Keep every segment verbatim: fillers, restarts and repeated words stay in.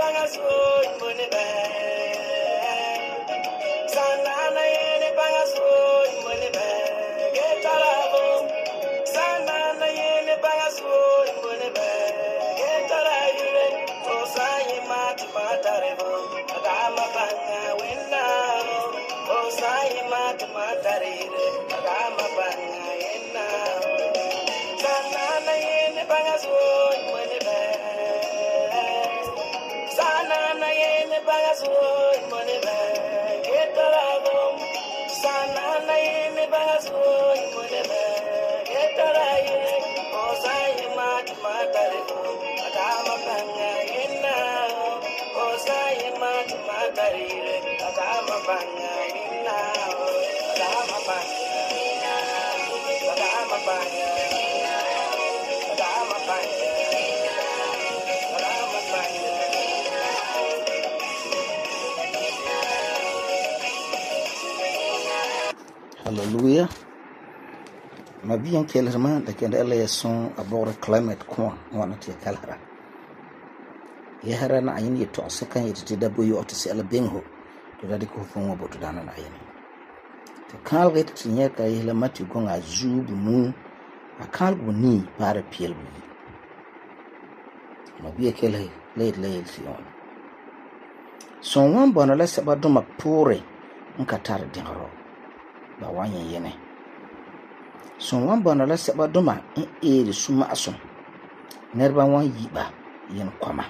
bangas woy money bag. Sanana yene bangas woy money bag. Get alabo. Sanana yene bangas woy money bag. Get alabo. Oh say mat matarebo. Agama banga winna. Oh say mat matarebo. Agama banga winna. Sanana yene bangas woy money bag. Sanana yene bangas woy money bag. Get alabo. Sanana yene bangas woy money bag. Get alabo. Oh say mat matarebo. Agama banga winna. Oh say mat matarebo. Agama banga winna. Agama banga winna. Agama banga winna. Agama banga winna. Agama banga winna. Hallelujah. Ma bien kellerman da kende Allah ya son abore climate ko wana te kalhara. Ya hara na ayin yeto sakan yete da boyo to se ala benho to da ko fon wo to dana na ayin. Te kal get tinye ka yela mati gonga zubu nu akal bu ni para piel bu. Ma bien kele le le sion. Son wan bona la saba do ma pore nka tar dinro. Ba wanyen yene. Son wan bona la saba do ma en ere suma aso. Nerba wan yiba yen kwama.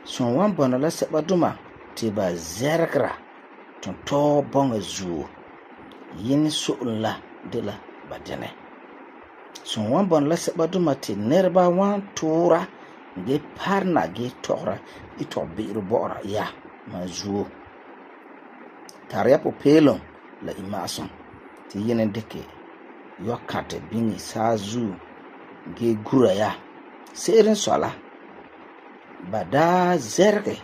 Son wan bona la saba do ma te ba zergra ton to bonga zu. Yin so la de la badene. Son wan bona la saba do ma te nerba wan tora ge parna ge tora ito biru bora ya ma zu. Tarya po pelon la imason ti yenen deke yokate bingi sazu ge gura ya seren sola bada zerge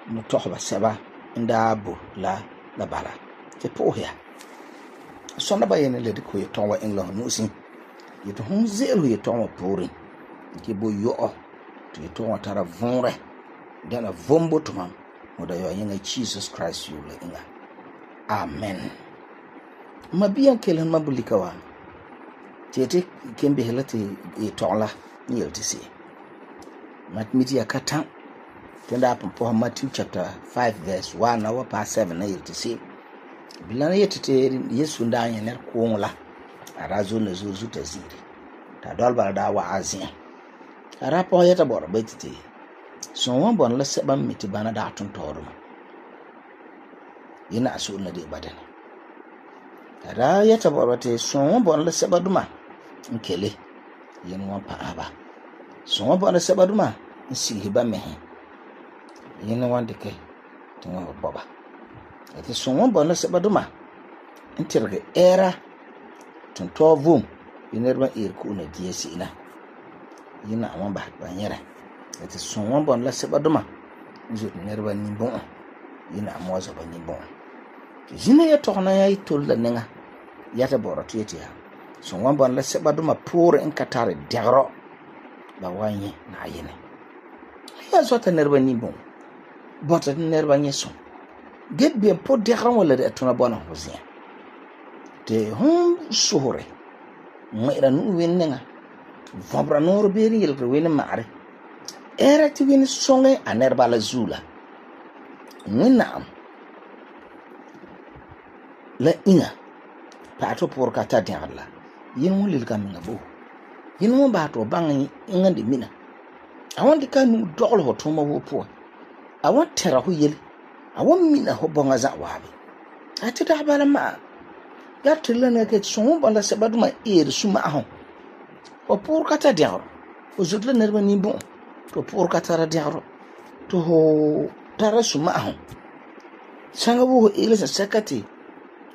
mutohba seba inda bu la la bala te pohya sona ba yenen le diko yetonwa england nusin yeto hon zelu yetonwa pori ke bo yo to yetonwa tara vonre dana vombo to mam moda yo yenga Jesus Christ you le inga. Amen. Mabiyan kelen mabulika wa. Tete kembe helati e tonla ni yeltisi. Matmiti ya katan. Tenda hapo po Matthew chapter five verse one na wapa seven na yeltisi. Bilana yetete Yesu ndanya ner kuonla. Arazo na zuzu taziri. Ta dolba da wa azin. Arapo yeta bora betiti. So wan bon la seba miti bana da tun torum. Yina asu na de badan. Ara yata borate so bon la seba duma nkele yin wan pa aba. So bon la seba duma nsi hiba mehe. Yin wan de ke tinga boba. Ati so bon la seba duma ntirge era tun to vum yinerba ir ku na diesi ina. Yina wan ba banyere. Ati so bon la seba duma nzu nerba ni bon. Yina amwaza ba ni bon. Jine ya tokna ya itol la nenga yata boro tieti ya so wan bon la seba duma pour en katare degro ba wanye na yene ya zota nerba ni bon bota nerba nyeso get bien po degro wala de tuna bona hozia te hon sore mera nu wenenga vabra nor beri yel wen mare era ti wen songe a nerba la zula nina la inga pato por kata diarla yin won lil kam ngabo yin won ba to bang inga de mina awon de kanu dogol ho to ma wo po awon tera ho yel awon mina ho bonga za wabe ati da bala ma ya tilana ke so bala se baduma er suma ho o por kata diaro o zudla nerba ni bon to por kata ra diaro to ho tara suma ho sanga wo ele sa sakati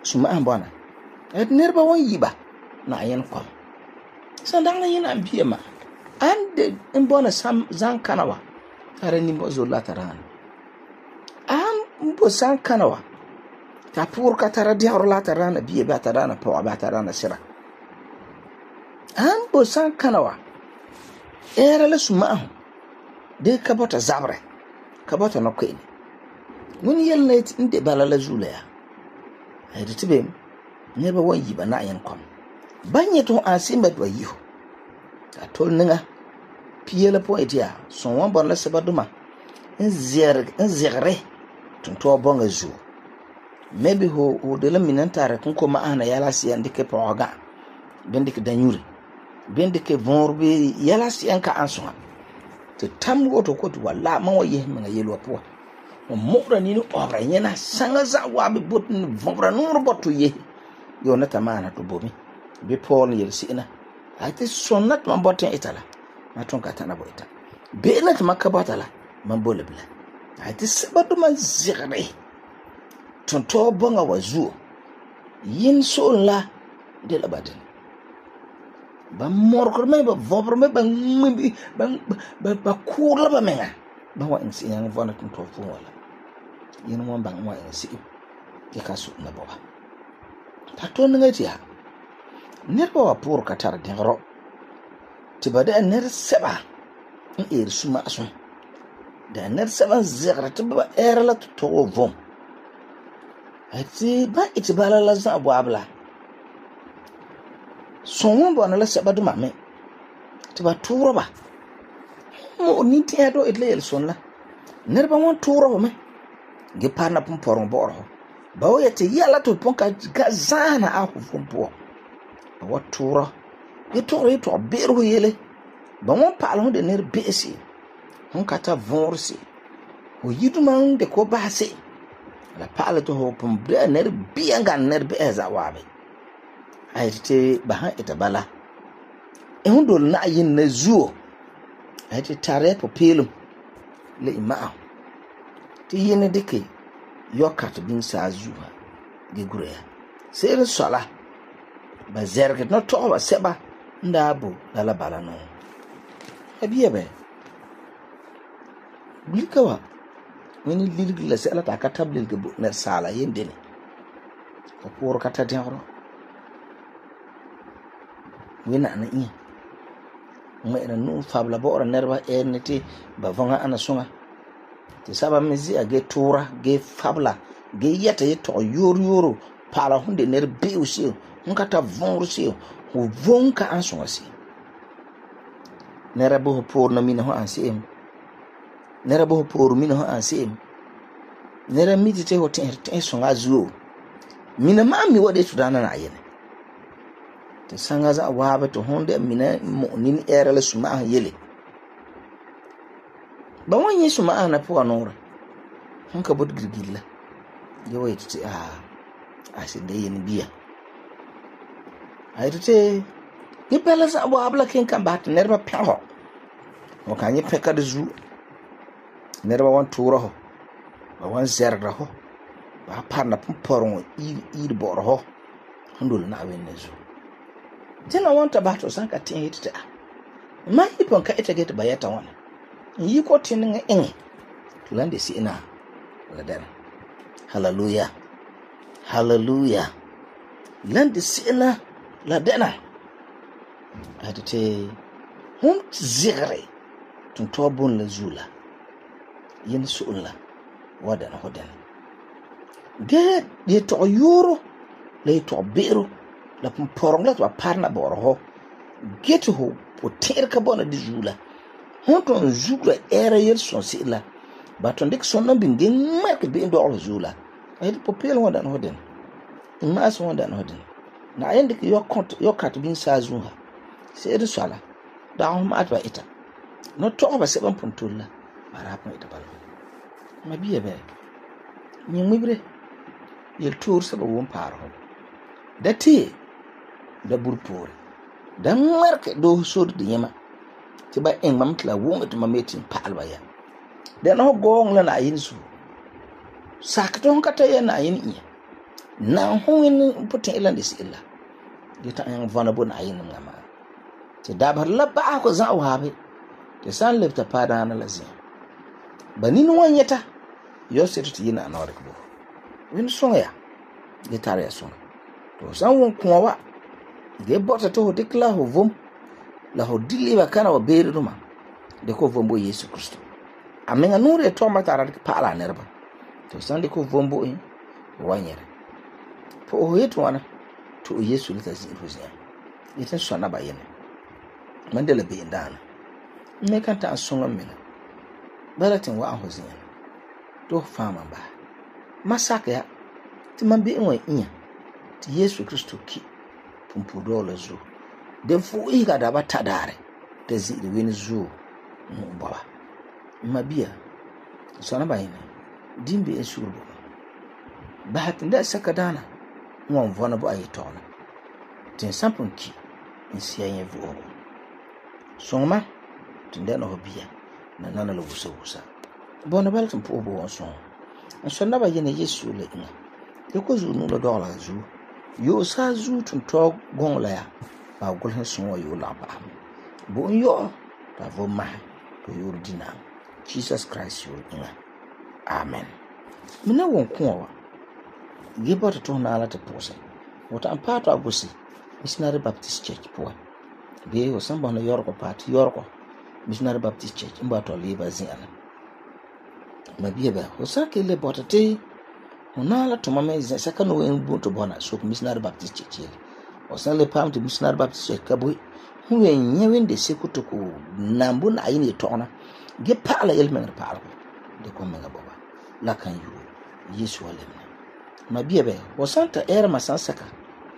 suma an bana et nerba won yiba na yen kwam sandang na yin ambiye ma ande en bona sam zan kanawa tare ni mo zola taran am mbo san kanawa ta pour katara diaro la tarana biye ba tarana po ba tarana sira am bo san kanawa era la suma de kabota zabre ka bɔta no kwe'ene wani yɛl na n de bala la zuula ya a yɛte te bem niraba wan yi ba Na'ayenɛ kom ban nyɛ te ho an se'em ba ba yi ho a tol niŋa pia la pɔgɔn iti ya son wan bɔna la sɛba duma n zɛgre n zɛgre tontɔɔ bɔŋa zuo maybe ho ho de la minan tare kun ko ma'ana yala siyan dike pɔga ben dike danyuri ben dike vor be yala siyan ka ansuha te tam woto ko to wala man wa yeh man yelo po mo mokra ni no obra nyena sanga za wa be bot ni vobra no boto ye yo na tamana to bomi be Paul yel sina ate sonnat man boten itala ma ton ka tana boita be na ma ka botala man bole bla ate sabatu man zigre ton to bonga wazu yin so la de la baden ba morkor me ba vobro me ba ngimbi ba ba ba kula ba menga ba wa insi yang vona ton to fu wala yin mo ba wa insi ke kasu na baba ta to ngati ha nerba wa pour katar dingro ti bada ner seba in er suma asun da ner seba zegra ti ba era la to vom ati ba iti bala la za bo abla son bo na la seba du mame ti ba turo ba mo ni ti ado itle el son la nerba won turo ba me ge parna pum poron bo ro ba wo yete yala to pon ka zana a ho fom po wa turo ge turo yi to beru yele ba won pa lo de ner besi hon kata vorsi o yidu man de ko ba se la pala to ho pum de ner bianga ner be za wabe ayte ba han eta bala e hon dol na yin na zuo ayte tare po pelum le ima ti yin de ke yokat bin sa zuha ge gure sere sala ba zerget no to ba seba ndabo la bala no abiye be blikawa wani lirgi la sala ta ka tablil ge na sala yendene ko por ka ta denro wina na yi ma ina nu fabla bo ora nerba enete ba vonga ana sunga te saba mezi age tura ge fabla ge yata yeto yor yoro para hunde ner beusi nka ta vonrusi ho vonka ansunga si nera bo por na mina ho ansim nera bo por mina ho ansim nera miti te ho ten ten sunga zuo mina ma mi wode to dana na yene te sanga za waaba to honde mina mo nin era la suma yele ba wonye suma na po anora hanka bod girgilla je wayti ti ah asinde yen biya ayte ni pela sa bo abla ken kan bat nerba peho o kanyi peka de zu nerba wan turo ho ba wan zerda ho ba parna poron i i boro ho handul na wen nezu tena wanta bato sanka tin hitita mai ipon ka ita geta bayata wana yi ko tin nga en tulande si ina la dan hallelujah hallelujah lande si ina la dana adite hum zigre tun tobun la zula yin sulla wadan hodan ge de to yoro le to bero la porong la to parna borho geto ho poter ka bona di zula honton zula era yel son sila baton dik son nan bingen mark be ndo zula ay popel wonda no den ma so wonda no den na yende ki yo kont yo kat bin sa zuha se de sala da ho ma atba ita no to ba se ban pontulla bara pa ita bal ma biye be ni mibre yel tour sa ba won paro dati da burpore da marke do sod de yema ti ba en mam tla wonga to mametin palba ya de no gong la na yin su sakton kata ya na yin iya na hoin putin ilan dis illa de ta en vana bon ayin ngama ti dabar la ba ko za wa be de san lefta pada na lazim banin wanyata yo setu ti yin anore ko win songa de tare ya songa to san won kuma wa ge bota to dikla ho vom la ho diliba kana wa beru ma de ko vombo Yesu Kristo a menga nuure to ma tara paala nerba to sande ko vombo in wanyere po o yeto wana to Yesu lita ziru zia yitin sona ba yene mandela be ndana me kan ta songa mena balatin wa ho zia to fama ba masaka ya ti man be en inya ti Yesu Kristo ki pumpu dole zu de fu iga da ba tadare te ziri wen zu mu baba mabia sona ba yene dimbe esuru ba hatin da saka dana wọn vɔna bo ayi tɔgna tin sampun ki n siya yɛ vu'ugu suŋma tin dɛna ho bia na nana la wusa wusa bɔna bala tin puhi bo wɔn suŋ n sɔ naba yɛna Yesu la iŋa ya ko zuo nu la dɔgla zuo yoo saa zuo tun tɔg gɔŋ la ya ba gulhin suŋ wa yoo la ba bo n yɔ ta vo mahi to yoor dina Jesus Christ yoo iŋa amen mina wɔn kuwa wa Giba to to na ala te pose. Wata ampato agusi Missionary Baptist Church poa. Be o samba na Yorko party Yorko Missionary Baptist Church mba to liba ziana. Mabia ba o sake le botate ona ala to mama is second way mbu to bona so Missionary Baptist Church. O san le pam to Missionary Baptist Church kaboi hu wen nyewen de sekuto ko nambu na ayini tona. Ge pala elmen pala. De ko menga baba. La kan yu Yesu alemna. Mabia be wasanta era masansaka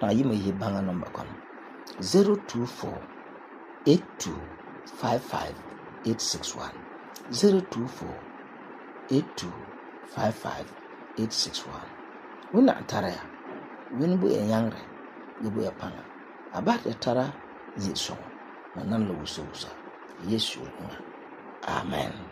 na yima yi banga number kono zero two four eight two five five eight six one zero two four eight two five five eight six one wona tara ya wini bu enyangre yibu ya panga abata tara zi so na nan lo wuso wusa Yesu amen.